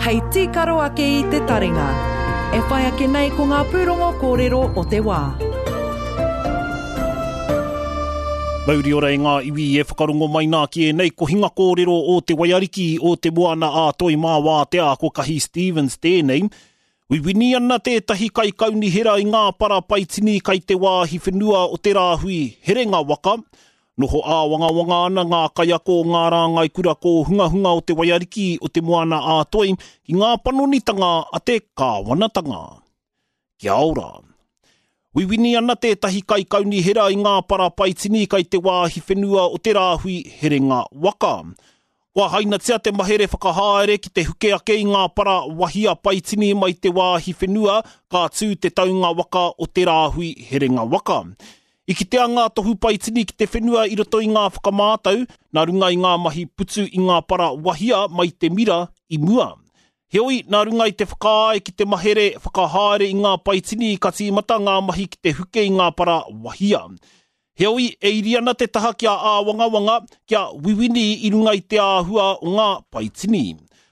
Hei tīkaro ake i te taringa. E whai ake nei ko ngā pūrongo kōrero o te wā. Mauri ora e ngā iwi e whakarongo mai nā ki ēnei kohinga kōrero o Te Waiariki o Te Moana a Toi Mā Wātea ko Kahi Stevens tēnei. Wiwini ana tētahi kaikaunihera i ngā para paitini kai te wāhi whenua o te rāhui herenga waka, Noho āwangawanga ana ngā kaiako o ngā rāngai kura kōhungahunga o Te Waiariki o Te Moana-a-Toi ki ngā panonitanga a te kāwanatanga. Kia ora. Wiwini ana tētahi kaikaunihera i ngā para paitini kai te wāhi whenua o te rāhui herenga waka. Kua hainatia te mahere whakahaere ki te huke ake i ngā para wahia paitini mai te wāhi whenua ka tū te taunga waka o te rāhui herenga waka. I kitea ngā tohu paitini ki te whenua i roto i ngā whakamātau nā runga i ngā mahi putu i ngā para wahia mai te mira i mua. Heoi, nā runga i te whakaae ki te mahere whakahaere i ngā paitini ka tīmata ngā mahi ki te huke i ngā para wahia. Heoi, e iri ana te taha kia āwangawanga, kia wiwini i runga i te āhua o ngā paitini.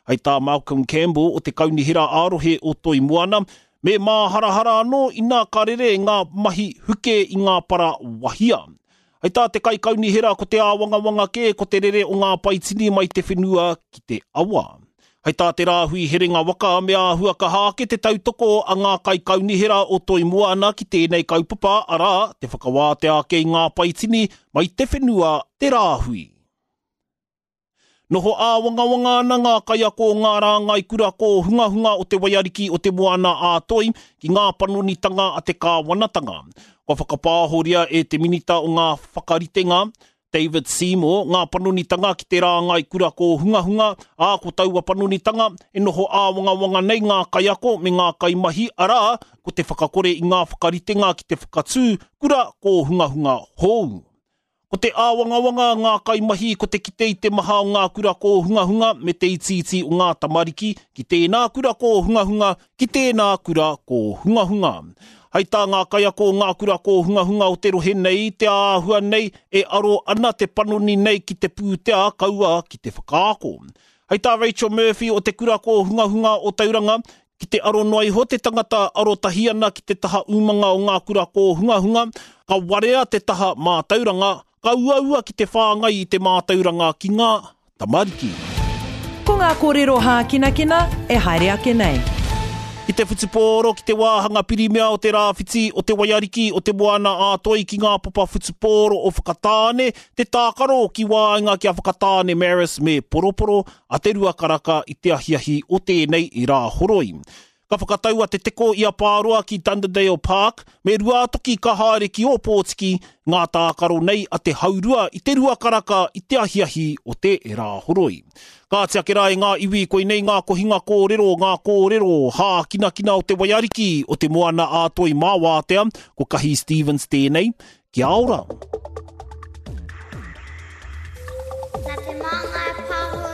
Hei tā Malcolm Campbell o te Kaunihera ā-Rohe o Toi Moana, me māharahara anō ina ka rere ngā mahi huke i ngā para wahia. Hei tā te kaikaunihera ko te āwangawanga kē ko te rere o ngā paitini mai te whenua ki te awa. Hei tā te rāhui herenga waka me āhua kaha ake te tautoko a ngā kaikaunihera o Toi Moana ki tēnei kaupapa, arā, te whakawātea ake i ngā paitini mai te whenua te rāhui. Noho āwangawanga ana ngā kaiako o ngā rāngai kura kōhungahunga o Te Waiariki o Te Moana a Toi ki ngā panonitanga a te kāwanatanga. Kua whakapāhoria e te Minita o ngā Whakaritenga, David Seymour, ngā panonitanga ki te rāngai kura kōhungahunga, ā, ko taua panonitanga e noho āwangawanga nei ngā kaiako me ngā kaimahi, arā, ko te whakakore i ngā whakaritenga ki te whakatū kura kōhungahunga hou. Ko te āwangawanga a ngā kaimahi ko te kite i te maha o ngā kura kōhungahunga me te itiiti o ngā tamariki ki tēnā kura kōhungahunga, ki tēnā kura kōhungahunga. Hai tā ngā kaiako o ngā kura kōhungahunga o te rohe nei, te āhua nei e aro ana te panoni nei ki te pūtea kaua ki te whakaako. Hai tā Rachel Murphy o te Kura Kōhungahunga o Tauranga, ki te aro noa iho te tangata arotahi ana ki te taha umanga o ngā kura kōhungahunga, ka warea te taha mātauranga, Ka uaua ki te whāngai i te mātauranga ki ngā tamariki. Ko ngā kōrero hākinakina e haere ake nei. Ki te whutupōro, ki te wāhanga pirimia o te rāwhiti, o te waiariki, o te moana ā-toi ki ngā papa whutupōro o Whakatāne, te tākaro ki waenga ki a Whakatāne Marist me Poroporo a te Ruakaraka i te ahiahi o tēnei Rāhoroi. Ka whakatau a Te Teko i a Pāroa ki Dunderdale Park, me Ruātoki ka haere ki Ōpōtiki, ngā tākaro nei a te haurua i te ruakaraka i te ahiahi o te Rāhoroi. Kāti ake rā e ngā iwi koinei ngā kohinga kōrero, ngā kōrero hākinakina o te waiariki o te Moana ā-Toi mā Wātea, ko Kahi Stevens tēnei. Kia ora! Nā Te Māngai Pāho.